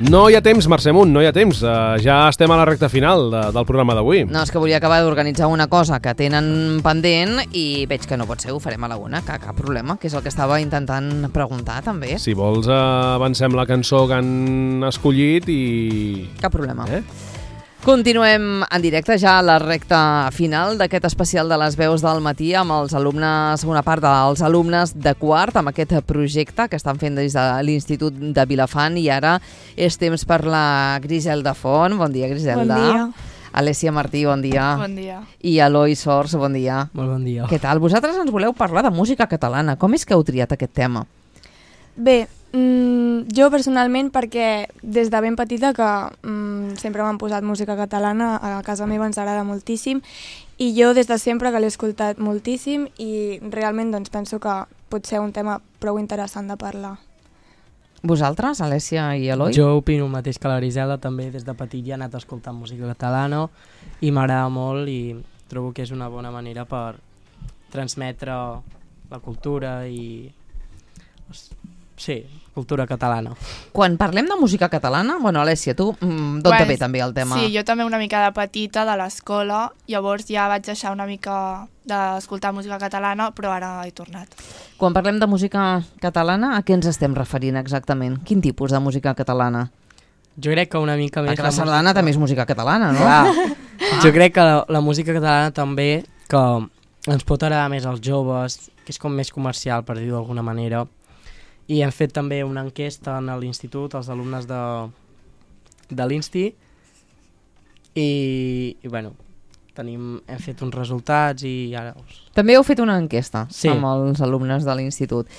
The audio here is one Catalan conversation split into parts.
No hi ha temps, Mercè Munt, no hi ha temps. Ja estem a la recta final del programa d'avui. No, és que volia acabar d'organitzar una cosa que tenen pendent i veig que no pot ser, ho farem a la una, que cap problema, que és el que estava intentant preguntar també. Si vols, avancem la cançó que han escollit i... Cap problema. Continuem en directe ja a la recta final d'aquest especial de les veus del matí amb els alumnes, una part dels alumnes de quart, amb aquest projecte que estan fent des de l'Institut de Vilafant, i ara és temps per la Griselda Font. Bon dia, Griselda. Bon dia. Alessia Martí, bon dia. Bon dia. I Eloi Sors, bon dia. Molt bon dia. Què tal? Vosaltres ens voleu parlar de música catalana. Com és que heu triat aquest tema? Bé, jo personalment perquè des de ben petita que sempre m'han posat música catalana, a casa meva ens agrada moltíssim i jo des de sempre que l'he escoltat moltíssim i realment doncs, penso que pot ser un tema prou interessant de parlar. Vosaltres, Alessia i Eloi? Jo opino el mateix que la Griselda, també des de petit ja he anat escoltant música catalana i m'agrada molt i trobo que és una bona manera per transmetre la cultura i... Sí, cultura catalana. Quan parlem de música catalana, bueno, Alessia, tu d'on te ve també el tema? Sí, jo també una mica de petita, de l'escola, llavors ja vaig deixar una mica d'escoltar música catalana, però ara he tornat. Quan parlem de música catalana, a què ens estem referint exactament? Quin tipus de música catalana? Jo crec que una mica més... Perquè la sardana també és música catalana, no? Clar. Jo crec que la música catalana també, que ens pot agradar més als joves, que és com més comercial, per dir-ho d'alguna manera. I hem fet també una enquesta en l'institut, als alumnes de l'Insti, i bueno, hem fet uns resultats i ara... També heu fet una enquesta amb els alumnes de l'institut.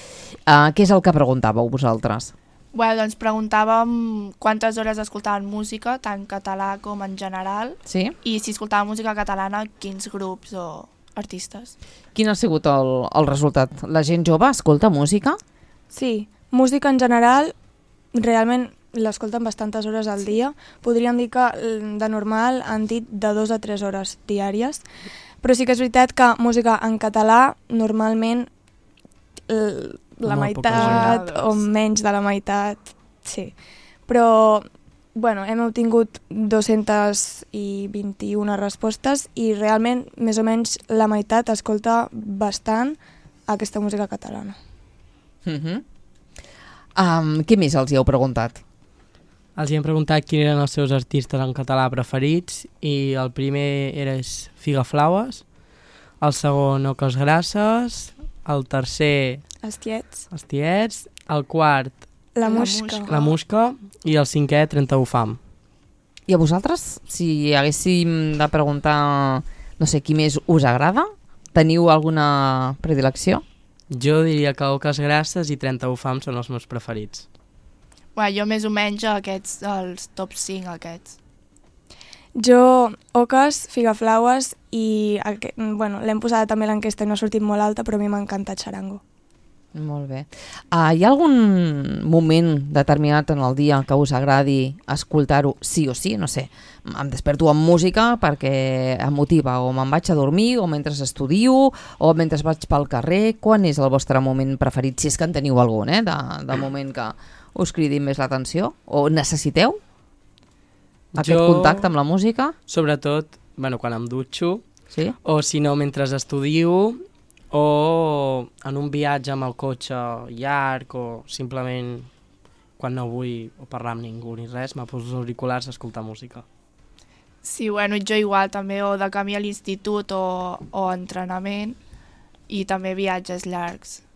Què és el que preguntàveu vosaltres? Bueno, doncs preguntàvem quantes hores escoltaven música, tant català com en general, sí? I si escoltaven música catalana, quins grups o artistes. Quin ha sigut el resultat? La gent jove escolta música? Sí, música en general realment l'escolten bastantes hores al dia. Podríem dir que de normal han dit de 2 a 3 hores diàries, però sí que és veritat que música en català normalment la meitat o menys de la meitat, sí. Però bueno, hem obtingut 221 respostes i realment més o menys la meitat escolta bastant aquesta música catalana. Què més els hi heu preguntat? Els hi hem preguntat quins eren els seus artistes en català preferits i el primer era Figaflaues, el segon Oques Grasses, el tercer Els Tiets, el quart La Musca i el cinquè 31 Fam. I a vosaltres, si haguéssim de preguntar, no sé, qui més us agrada, teniu alguna predilecció? Jo diria que Oques Grasses i 31 Fam són els meus preferits. Bueno, jo més o menys aquests, els top 5 aquests. Jo, Oques, Figaflaues i bueno, l'hem posada també a l'enquesta i no ha sortit molt alta, però a mi m'ha encantat Xarango. Molt bé. Hi ha algun moment determinat en el dia que us agradi escoltar-ho sí o sí? No sé, em desperto amb música perquè em motiva, o me'n vaig a dormir, o mentre estudio, o mentre vaig pel carrer. Quan és el vostre moment preferit? Si és que en teniu algun, de moment que us cridi més l'atenció? O necessiteu aquest contacte amb la música? Sobretot, bueno, quan em dutxo, sí? O si no, mentre estudio, o en un viatge amb el cotxe llarg, o simplement quan no vull parlar amb ningú ni res, me poso els auriculars a escoltar música. Sí, bueno, jo igual també, o de camí a l'institut o entrenament, i també viatges llargs.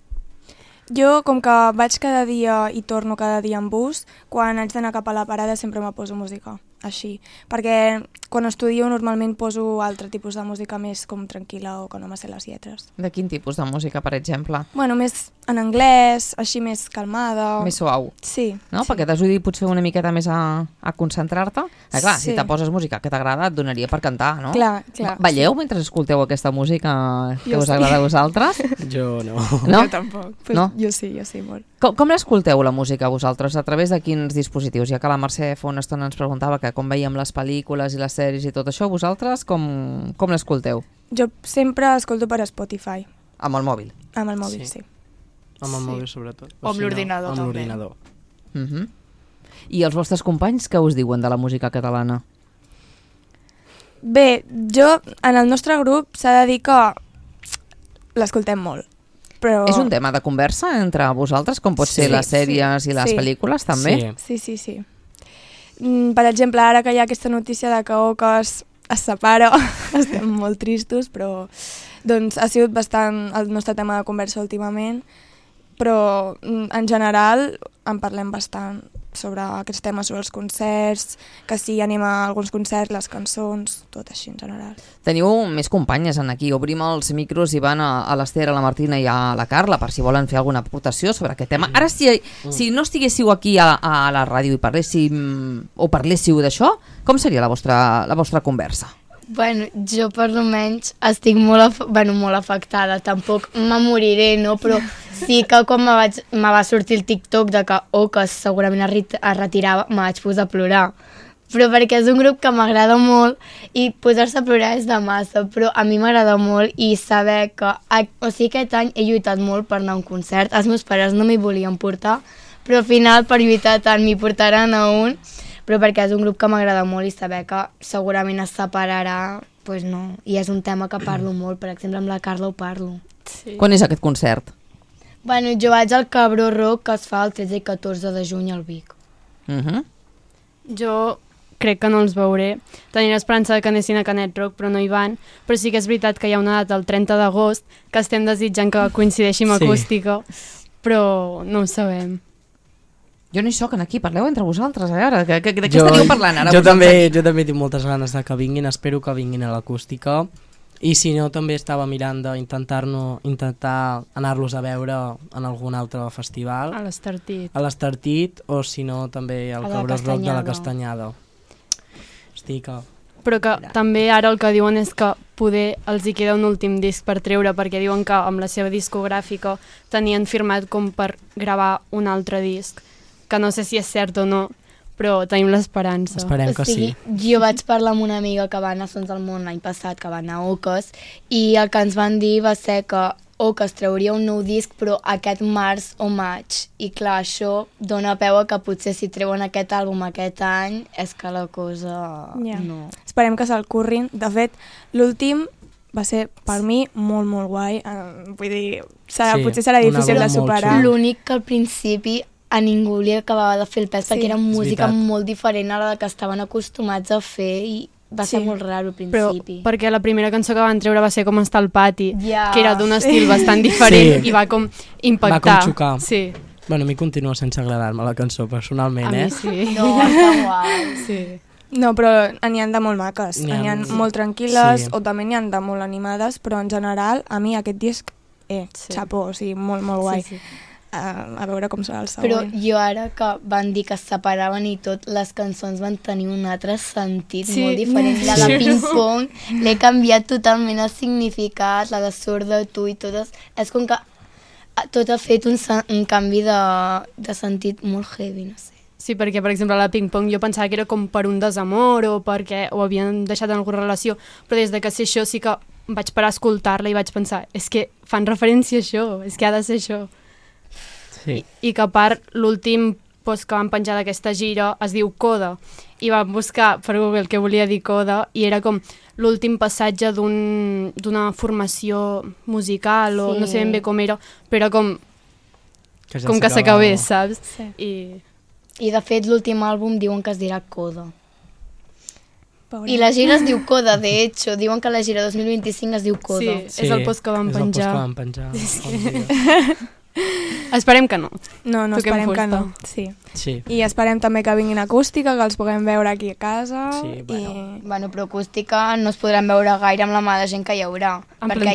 Jo, com que vaig cada dia i torno cada dia en bus, quan haig d'anar cap a la parada sempre me poso música, així. Perquè quan estudio normalment poso altre tipus de música més com tranquil·la o que no me sé les lletres. De quin tipus de música, per exemple? Bueno, més en anglès, així més calmada. Més suau. Sí. No? Sí. Perquè t'ajudi potser una miqueta més a concentrar-te. Clar, sí. Si te poses música que t'agrada et donaria per cantar, no? Clar. Balleu mentre escolteu aquesta música que us agrada a vosaltres? Jo no. No? Jo tampoc. Pues no? Jo sí, molt. Com l'escolteu, la música, vosaltres? A través de quins dispositius? Ja que la Mercè fa una estona ens preguntava que com veiem les pel·lícules i les sèries i tot això, vosaltres com l'escolteu? Jo sempre escolto per Spotify. Amb el mòbil? Amb el mòbil, sí. Amb el mòbil, sobretot. O amb l'ordinador, també. Amb l'ordinador. I els vostres companys què us diuen de la música catalana? Bé, en el nostre grup s'ha de dir que l'escoltem molt. Però... És un tema de conversa entre vosaltres, com pot ser les sèries i les pel·lícules, també? Sí. Per exemple, ara que hi ha aquesta notícia de que Ocas es separa, estem molt tristos, però doncs, ha sigut bastant el nostre tema de conversa últimament, però en general en parlem bastant sobre aquests temes, sobre els concerts, que si anem a alguns concerts, les cançons, tot així en general. Teniu més companyes en aquí. Obrim els micros i van a l'Ester, a la Martina i a la Carla per si volen fer alguna aportació sobre aquest tema. Ara, si no estiguéssiu aquí a la ràdio i parléssiu d'això, com seria la vostra conversa? Bueno, jo per almenys estic molt afectada, tampoc me moriré, no? Però sí que quan me va sortir el TikTok de que Ocas segurament es retirava, me vaig posar a plorar. Però perquè és un grup que m'agrada molt i posar-se a plorar és de massa, però a mi m'agrada molt i saber que... aquest any he lluitat molt per anar a un concert, els meus pares no m'hi volien portar, però al final per lluitar tant m'hi portaran a un... però perquè és un grup que m'agrada molt i saber que segurament es separarà, doncs no. I és un tema que parlo molt, per exemple amb la Carla ho parlo. Sí. Quan és aquest concert? Bueno, jo vaig al Cabró Rock, que es fa el 13 i 14 de juny al Vic. Jo crec que no els veuré. Tenia l'esperança que anessin a Canet Rock, però no hi van. Però sí que és veritat que hi ha una data el 30 d'agost que estem desitjant que coincideixi amb acústica, però no ho sabem. Jo no hi soc aquí, parleu entre vosaltres, a veure, de què estaríeu parlant ara? Jo també tinc moltes ganes de que vinguin, espero que vinguin a l'acústica, i si no també estava mirant d'intentar anar-los a veure en algun altre festival. A l'Estartit. A l'Estartit, o si no també al Cabró Rock de la Castanyada. Però que també ara el que diuen és que poder els hi queda un últim disc per treure, perquè diuen que amb la seva discogràfica tenien firmat com per gravar un altre disc, que no sé si és cert o no, però tenim l'esperança. Esperem que sí. Jo vaig parlar amb una amiga que va anar a Sons del Món l'any passat, que va anar a Ocas, i el que ens van dir va ser que Ocas trauria un nou disc, però aquest març o maig. I clar, això dona peu a que potser si treuen aquest àlbum aquest any, és que la cosa no... Esperem que se'l currin. De fet, l'últim va ser, per mi, molt, molt guai. Vull dir, potser serà difícil de superar. L'únic que al principi a ningú li acabava de fer el pes, perquè era música molt diferent a la que estaven acostumats a fer i va ser molt raro al principi. Però perquè la primera cançó que van treure va ser com Està al pati, que era d'un estil bastant diferent i va com impactar. Va com xocar. Sí. Bueno, a mi continua sense agradar-me la cançó personalment, A mi sí. No, està guai. Sí. No, però n'hi ha de molt maques, n'hi ha molt tranquil·les o també n'hi ha de molt animades, però en general a mi aquest disc, xapó, o sigui, molt, molt guai. Sí. A veure com serà el següent. Però jo ara que van dir que es separaven i tot, les cançons van tenir un altre sentit molt diferent. La de Ping Pong l'he canviat totalment el significat, la de Sorda tu i totes. És com que tot ha fet un canvi de sentit molt heavy, no sé. Sí, perquè, per exemple, la Ping Pong jo pensava que era com per un desamor o perquè ho havien deixat en alguna relació, però des de que sé això sí que vaig parar a escoltar-la i vaig pensar, és que fan referència a això, és que ha de ser això. Sí. I que a part l'últim post que van penjar d'aquesta gira es diu Coda i vam buscar per Google què volia dir Coda i era com l'últim passatge d'una formació musical o no sé ben bé com era, però com que s'acabés, saps? Sí. I de fet l'últim àlbum diuen que es dirà Coda. I la gira es diu Coda, de hecho. Diuen que la gira 2025 es diu Coda. Sí, és el post que van penjar. És el post que van penjar. Esperem que no. No, esperem que no. Sí. I esperem també que vinguin acústica, que els puguem veure aquí a casa. Sí, bueno, però acústica no es podran veure gaire amb la mà de gent que hi haurà. Perquè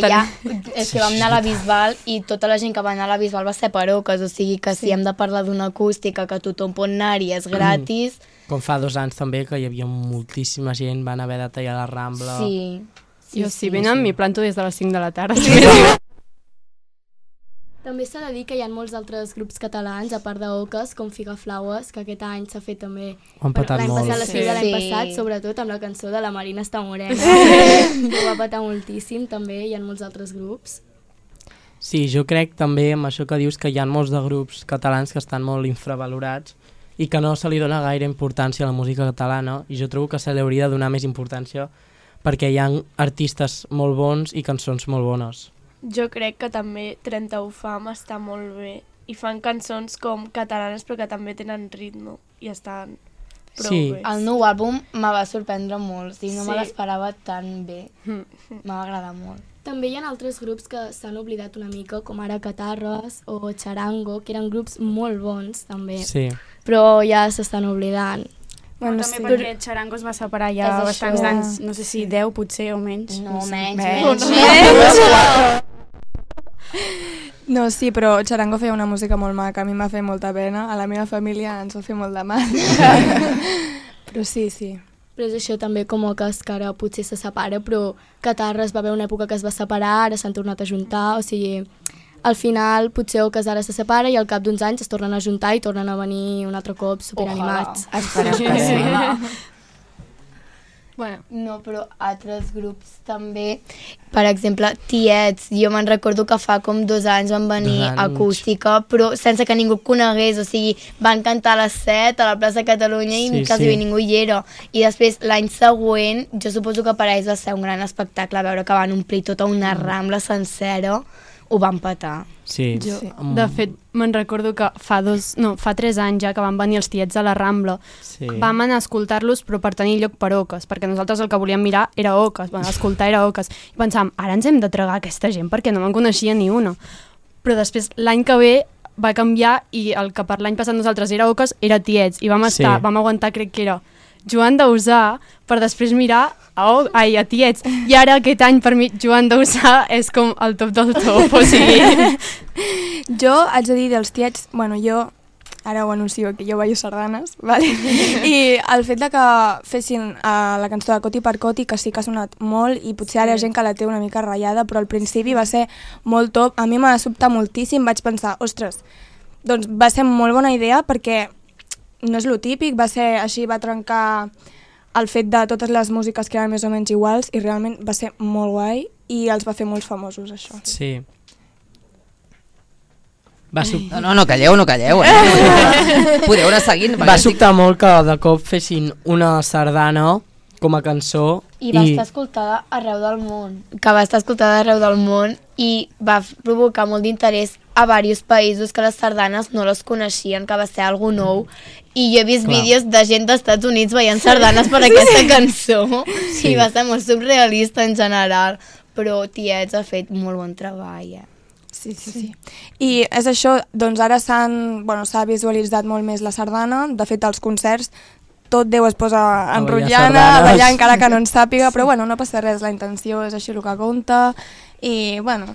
és que vam anar a la Bisbal i tota la gent que va anar a la Bisbal va ser per Ocas, o sigui que si hem de parlar d'una acústica que tothom pot anar-hi, és gratis... Com fa 2 anys també, que hi havia moltíssima gent, van haver de tallar la Rambla... Jo si venen m'hi planto des de les 5 de la tarda. També s'ha de dir que hi ha molts altres grups catalans, a part d'Ocas, com Figaflaues, que aquest any s'ha fet també... Ho han petat molt. L'any passat, l'estiu de l'any passat, sobretot amb la cançó de La Marina està morena. Ho va petar moltíssim, també, hi ha molts altres grups. Sí, jo crec també amb això que dius que hi ha molts de grups catalans que estan molt infravalorats i que no se li dona gaire importància a la música catalana, i jo trobo que se li hauria de donar més importància perquè hi ha artistes molt bons i cançons molt bones. Jo crec que també 31 Fam està molt bé i fan cançons com catalanes però que també tenen ritme i estan prou bé. El nou àlbum me va sorprendre molt, no me l'esperava tan bé, m'ha agradat molt. També hi ha altres grups que s'han oblidat una mica, com ara Catarres o Charango, que eren grups molt bons també, però ja s'estan oblidant. Bueno, també perquè Charango es va separar ja bastants anys, no sé si 10 potser o menys. No, menys. No, sí, però Charango feia una música molt maca, a mi m'ha fet molta pena, a la meva família ens va fer molt de mal. Però sí. Però és això també com que ara potser se separa, però Catarres va haver una època que es va separar, ara s'han tornat a juntar, o sigui, al final potser Ocas ara se separa i al cap d'uns anys es tornen a juntar i tornen a venir un altre cop superanimats. Esperem. Bueno. No, però altres grups també, per exemple, Tiets, jo me'n recordo que fa com 2 anys van venir acústica, però sense que ningú conegués, o sigui, van cantar a les 7 a la plaça Catalunya i quasi ningú hi era. I després, l'any següent, jo suposo que per a ells va ser un gran espectacle veure que van omplir tota una rambla sencera, ho van petar. De fet, me'n recordo que fa 3 anys ja que van venir els Tiets a la Rambla. Vam anar a escoltar-los però per tenir lloc per Ocas, perquè nosaltres el que volíem mirar era Ocas, escoltar era Ocas. I pensàvem, ara ens hem de tragar aquesta gent perquè no me'n coneixia ni una. Però després, l'any que ve, va canviar i el que per l'any passat nosaltres era Ocas era Tiets. I vam aguantar, crec que era Joan Dausà, per després mirar a Tiets. I ara aquest any per mi Joan Dausà és com el top del top, o sigui... Jo haig de dir dels Tiets, bueno, jo ara ho anuncio que jo ballo sardanes, vale? I el fet de que fessin la cançó de Coti per Coti, que sí que ha sonat molt i potser ara hi ha gent que la té una mica ratllada, però al principi va ser molt top, a mi m'ha sobtat moltíssim, vaig pensar, ostres, doncs va ser molt bona idea perquè no és lo típic, va ser així, va trencar el fet de totes les músiques que eren més o menys iguals i realment va ser molt guai i els va fer molt famosos, això. Sí. No calleu, podeu anar seguint. Va sobtar molt que de cop fessin una sardana com a cançó i va estar escoltada arreu del món, i va provocar molt d'interès a diversos països que les sardanes no les coneixien, que va ser algo nou, i jo he vist vídeos de gent dels Estats Units veient sardanes per aquesta cançó i va ser molt surrealista en general, però Tiets ha fet molt bon treball. Sí. I és això, doncs ara s'ha visualitzat molt més la sardana, de fet als concerts tot Déu es posa enrotllada, ballar encara que no en sàpiga, però bueno, no passa res, la intenció és així el que compta i bueno,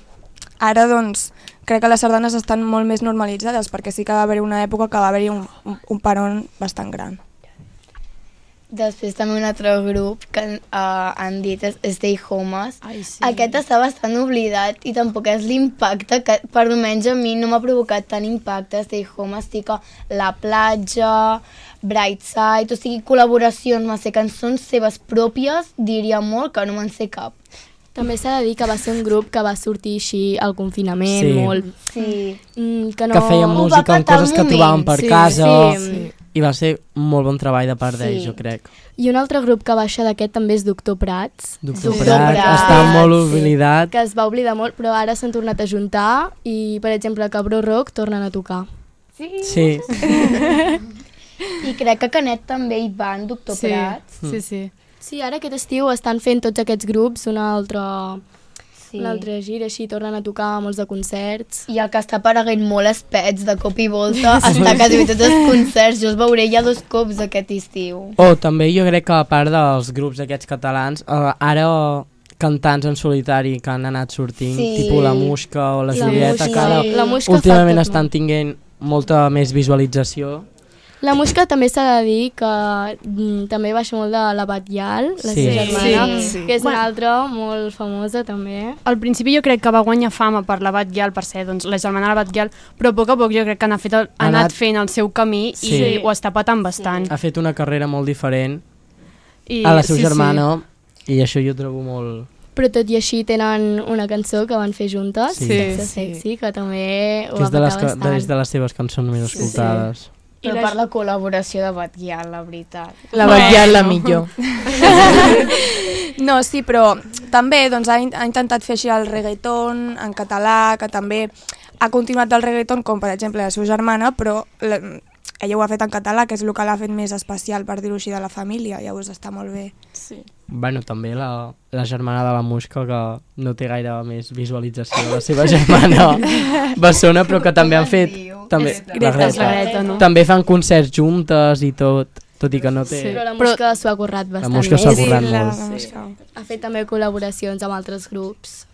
ara doncs crec que les sardanes estan molt més normalitzades perquè sí que va haver una època que va haver-hi un peron bastant gran. Després també un altre grup que han dit és Stay Homes. Aquest està bastant oblidat i tampoc és l'impacte que per almenys a mi no m'ha provocat tant impacte. Stay Homes, sí que La Platja, Brightside, o sigui, col·laboracions, va ser cançons seves pròpies, diria molt que no me'n sé cap. També s'ha de dir que va ser un grup que va sortir així al confinament, molt. Sí. Que feien música amb coses que trobaven per casa. I va ser molt bon treball de part d'ells, jo crec. I un altre grup que baixa d'aquest també és Doctor Prats. Doctor Prats, està molt oblidat. Que es va oblidar molt, però ara s'han tornat a juntar i, per exemple, Cabró Rock tornen a tocar. Sí. I crec que Canet també hi van, Doctor Prats. Sí. Sí, ara aquest estiu estan fent tots aquests grups una altra gira, així tornen a tocar molts de concerts. I el que està apareguent molt és Pets, de cop i volta, està quasi bé tots els concerts, jo els veuré ja 2 cops aquest estiu. També jo crec que a part dels grups aquests catalans, ara cantants en solitari que han anat sortint, tipus La Musca o la Julieta, que ara últimament estan tinguent molta més visualització. La Musca també s'ha de dir que també baixa molt de la Batllal, la seva germana, que és una altra molt famosa també. Al principi jo crec que va guanyar fama per la Batllal, per ser la germana de la Batllal, però a poc jo crec que ha anat fent el seu camí i ho està patant bastant. Ha fet una carrera molt diferent a la seva germana i això jo trobo molt... Però tot i així tenen una cançó que van fer juntes, Sexy, que també ho va patar bastant. És de les seves cançons més escoltades. Però per la col·laboració de Batguial, la veritat. La Batguial la millor. No, sí, però també doncs, ha intentat fer així el reggaeton en català, que també ha continuat el reggaeton, com per exemple la seva germana, però ella ho ha fet en català, que és el que l'ha fet més especial, per dir-ho així, de la família, llavors està molt bé. Sí. Bueno, també la germana de la Muixca, que no té gaire més visualització de la seva germana bessona, però que també han fet... També, la Greta, no? També fan concerts juntes i tot i que no té... Sí, però la Muixca s'ho ha currat bastant. La Muixca s'ho ha currat molt. Ha fet també col·laboracions amb altres grups.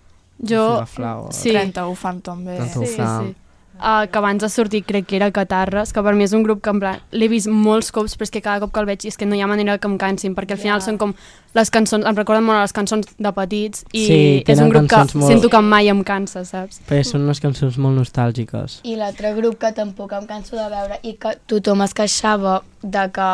Jo... Sí. 31 fan també. 31 fan. Sí. Que abans de sortir crec que era Catarres, que per mi és un grup que en plan l'he vist molts cops, però és que cada cop que el veig és que no hi ha manera que em cansin, perquè al final són com les cançons, em recorden molt a les cançons de petits i és un grup que sento que mai em cansa, saps? Perquè són unes cançons molt nostàlgiques. I l'altre grup que tampoc em canso de veure i que tothom es queixava de que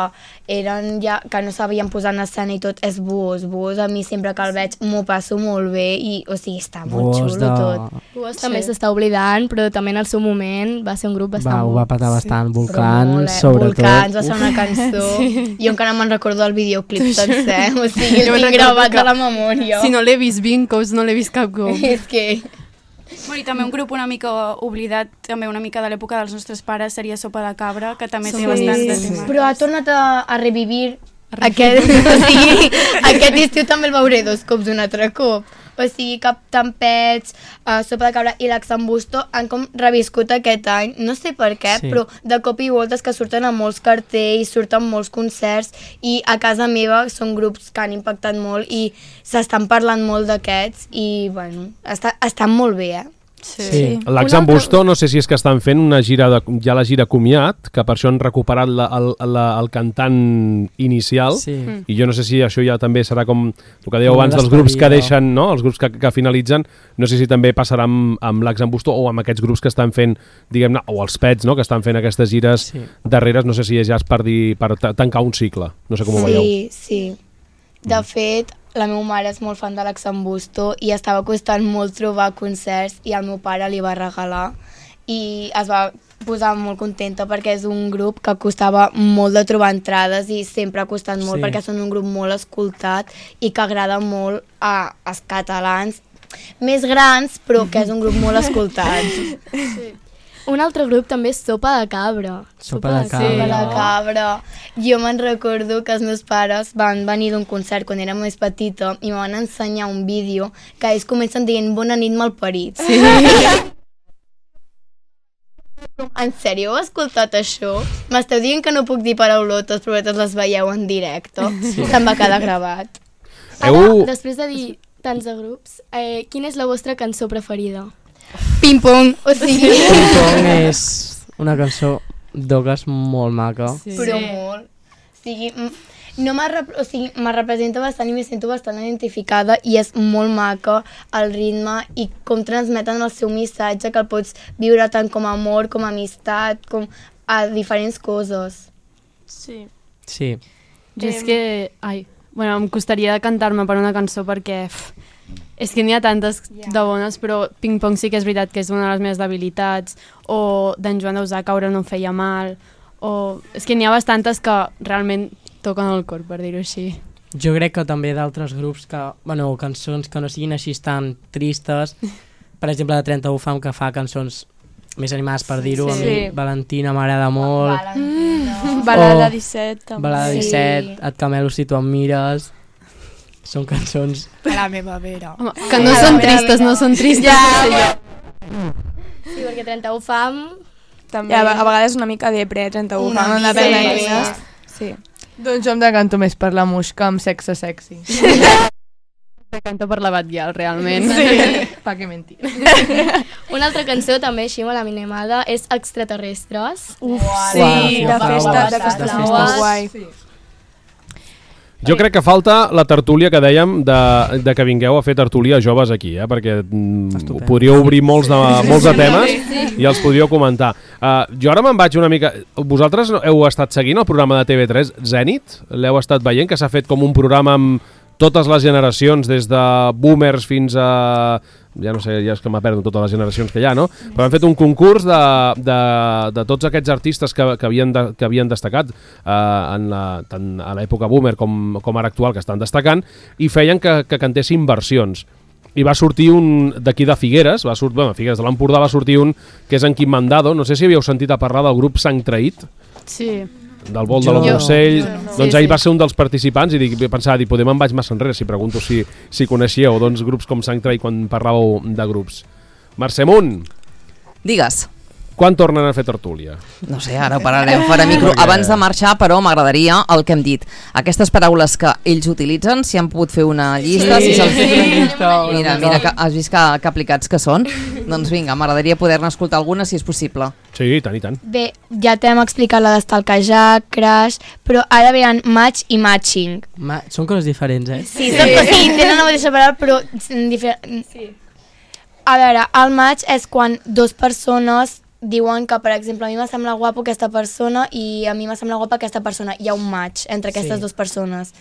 eren ja, que no sabien posar en escena i tot, és Buos. Buos a mi sempre que el veig m'ho passo molt bé i, o sigui, està molt xulo tot. Buos també s'està oblidant, però també en el seu moment va ser un grup bastant... Ho va patar bastant, Volcans, sobretot. Volcans va ser una cançó. Jo encara me'n recordo el videoclip sencer, o sigui, el tinc gravat a la memòria. Si no l'he vist 20 cops, no l'he vist cap cop. És que... Bueno, i també un grup una mica oblidat, també una mica de l'època dels nostres pares, seria Sopa de Cabra, que també té bastants de temes. Però ha tornat a revivir aquest estiu també el veuré 2 cops un altre cop. O sigui, Cap Tampets, Sopa de Cabra i l'Axambusto han com reviscut aquest any, no sé per què, però de cop i voltes que surten a molts cartells, surten molts concerts i a casa meva són grups que han impactat molt i s'estan parlant molt d'aquests i, bueno, estan molt bé, Sí. L'Axambusto, no sé si és que estan fent una gira, ja la gira comiat, que per això han recuperat el cantant inicial, i jo no sé si això ja també serà com el que dèieu abans dels grups que deixen, no? Els grups que finalitzen, no sé si també passarà amb l'Axambusto o amb aquests grups que estan fent, diguem-ne, o els Pets, no? Que estan fent aquestes gires darreres, no sé si ja és per tancar un cicle, no sé com ho veieu. Sí. De fet, la meva mare és molt fan de l'Axambusto i estava costant molt trobar concerts i el meu pare li va regalar i es va posar molt contenta perquè és un grup que costava molt de trobar entrades i sempre ha costat molt perquè són un grup molt escoltat i que agrada molt als catalans més grans però que és un grup molt escoltat. Sí. Un altre grup també és Sopa de Cabra. Sopa de Cabra. Jo me'n recordo que els meus pares van venir d'un concert quan era més petita i me van ensenyar un vídeo que ells comencen dient bona nit malparits. Sí. En sèrio, heu escoltat això? M'esteu dient que no puc dir paraulotes però vosaltres les veieu en directe? Se'm va quedar gravat. Ara, després de dir tants de grups, quina és la vostra cançó preferida? Ping Pong, o sigui... Ping Pong és una cançó d'Oques molt maca. Però molt. O sigui, me representa bastant i me sento bastant identificada i és molt maca el ritme i com transmeten el seu missatge que el pots viure tant com a amor, com a amistat, com a diferents coses. Sí. Jo és que... Bueno, em costaria cantar-me per una cançó perquè... És que n'hi ha tantes de bones, però Ping Pong sí que és veritat que és una de les meves debilitats, o d'en Joan Dausà, Caure no em feia mal, o... És que n'hi ha bastantes que realment toquen el cor, per dir-ho així. Jo crec que també d'altres grups que... Bueno, cançons que no siguin així tan tristes, per exemple, de 31 Fam, que fa cançons més animades, per dir-ho, a mi Valentina m'agrada molt. Balada 17, també. Balada 17, Et camelo si tu em mires... Són cançons... A la meva vera. Home, que no són tristes, no són tristes. Sí, perquè 31 Fam... També. A vegades una mica depre, 31 Fam, no depèn de quines. Sí. Doncs jo em decanto més per la Muixca amb Sexe Sexy. Decanto per la Batguial, realment. Pa que mentir. Una altra cançó també així molt animada és Extraterrestres. Sí, de festa guai. Jo crec que falta la tertúlia que dèiem de que vingueu a fer tertúlia joves aquí, perquè podríeu obrir molts de temes i els podríeu comentar. Jo ara me'n vaig una mica... Vosaltres heu estat seguint el programa de TV3 Zènit? L'heu estat veient, que s'ha fet com un programa amb totes les generacions, des de boomers fins a... ja no sé, ja és que m'ha perdut totes les generacions que hi ha, no? Però han fet un concurs de tots aquests artistes que havien destacat tant a l'època boomer com ara actual, que estan destacant, i feien que cantessin versions. I va sortir un d'aquí de Figueres, Figueres de l'Empordà va sortir un que és en Quim Mandado, no sé si havíeu sentit a parlar del grup Sang Traït. Sí. Del vol de la Montsell, doncs ell va ser un dels participants i pensava, poder me'n vaig massa enrere si pregunto si coneixíeu grups com Sang Traït quan parlàveu de grups. Mercè Munt. Digues. Quan tornen a fer tertúlia? No sé, ara ho pararem fora micro. Abans de marxar, però, m'agradaria el que hem dit. Aquestes paraules que ells utilitzen, si han pogut fer una llista... Mira, has vist que aplicats que són? Doncs vinga, m'agradaria poder-ne escoltar alguna, si és possible. Sí, i tant. Bé, ja t'hem explicat la d'estalquejar, crash, però ara venen match i matching. Són coses diferents, eh? Sí, tenen la mateixa paraula, però diferents. Sí. A veure, el match és quan dues persones diuen que, per exemple, a mi m'ha semblat guapo aquesta persona i a mi m'ha semblat guapa aquesta persona. Hi ha un match entre aquestes dues persones.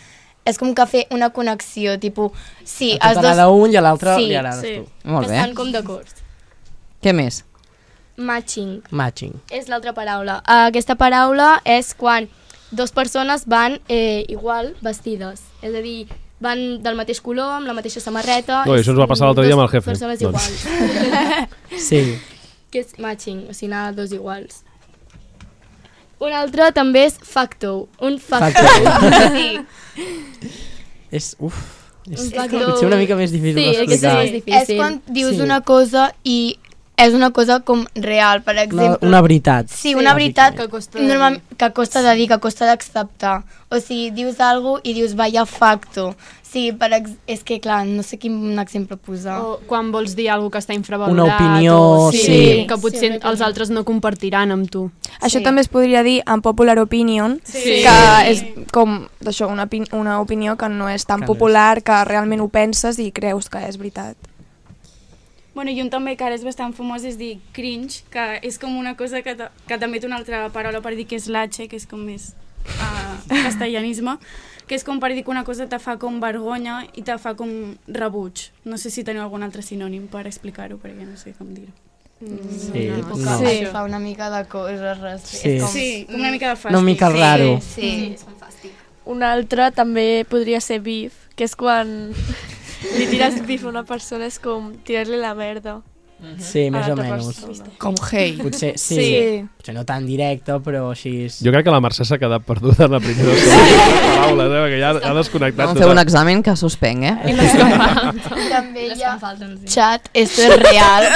És com que fer una connexió, tipus... Sí, els dos... t'agrada un i a l'altre li agrades tu. Molt bé. Estan com d'acord. Què més? Matching. És l'altra paraula. Aquesta paraula és quan dues persones van igual vestides. És a dir, van del mateix color, amb la mateixa samarreta... Això ens va passar l'altre dia amb el jefe. Persones iguals. Sí. Que és matching, o sigui, anar dos iguals. Un altre també és facto. Un facto. Sí. És potser una mica més difícil d'explicar. Sí, és quan dius una cosa i és una cosa com real, per exemple. Una veritat. Sí, una veritat que costa de dir, que costa d'acceptar. O sigui, dius alguna cosa i dius vaya facto. Sí, és que clar, no sé quin exemple posar. O quan vols dir alguna que està infravalorat. Una opinió, sí. Que potser els altres no compartiran amb tu. Això també es podria dir en popular opinion, que és com això, una opinió que no és tan popular, que realment ho penses i creus que és veritat. Bueno, i un també que ara és bastant famós és dir cringe, que és com una cosa que també té una altra paraula per dir que és latxe, que és com més castellanisme, que és com per dir que una cosa te fa com vergonya i te fa com rebuig. No sé si teniu algun altre sinònim per explicar-ho, perquè no sé com dir-ho. Sí, fa una mica de coses. Sí, com una mica de fàstic. Una mica raro. Sí, és un fàstic. Un altre també podria ser beef, que és quan li tires beef a una persona, és com tirar-li la merda. Sí, més o menys. Com hate. Potser sí. Potser no tan directe, però així... Jo crec que la Mercè s'ha quedat perduda en la primera paraula, perquè ja ha desconnectat. Vam fer un examen que suspenc, També hi ha chat, esto es real.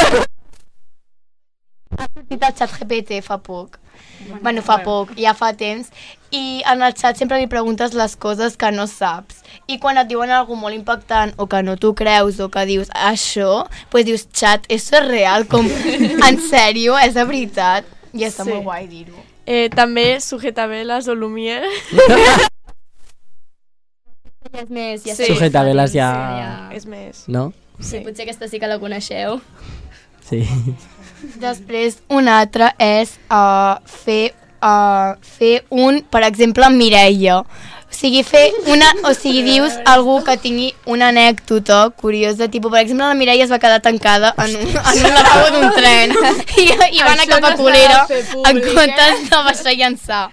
Ha sortit el xat GPT fa poc. Bueno, fa poc, ja fa temps. I en el xat sempre li preguntes les coses que no saps. I quan et diuen alguna molt impactant o que no t'ho creus o que dius això, doncs dius, xat, això és real, com, en sèrio, és de veritat. I està molt guai dir-ho. També sujetabeles o lumier. Ja és més... Sujetabeles ja... És més. No? Sí, potser aquesta sí que la coneixeu. Sí. Després, un altre és fer un, per exemple, Mireia. O sigui, dius algú que tingui una anècdota curiosa, tipus, per exemple, la Mireia es va quedar tancada en un lavabo d'un tren i va anar cap a Colera en comptes de baixar i llançar.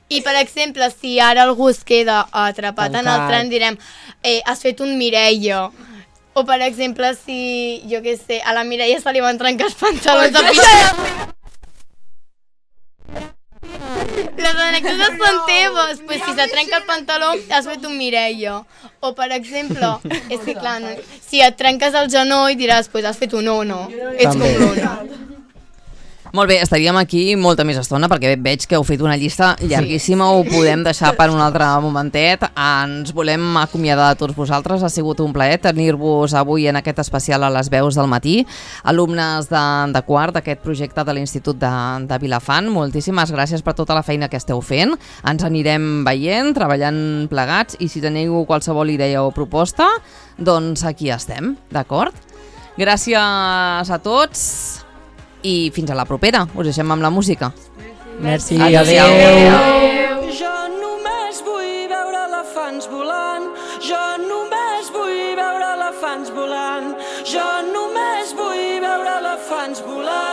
I, per exemple, si ara algú es queda atrapat en el tren, direm, has fet un Mireia. O, per exemple, si, jo què sé, a la Mireia se li van trencar els pantalons de pista. Les anècdotes són teves, pues si se trenca el pantaló has fet un Mireia. O per exemple, és que clar, si et trenques el genoll diràs, pues has fet un ono, ets com l'ono. Molt bé, estaríem aquí molta més estona perquè veig que heu fet una llista llarguíssima, ho podem deixar per un altre momentet. Ens volem acomiadar de tots vosaltres, ha sigut un plaer tenir-vos avui en aquest especial a les veus del matí. Alumnes de quart d'aquest projecte de l'Institut de Vilafant, moltíssimes gràcies per tota la feina que esteu fent. Ens anirem veient, treballant plegats i si teniu qualsevol idea o proposta, doncs aquí estem, d'acord? Gràcies a tots. I fins a la propera, us deixem amb la música. Merci, adéu. Jo només vull veure elefants volant, jo només elefants volant.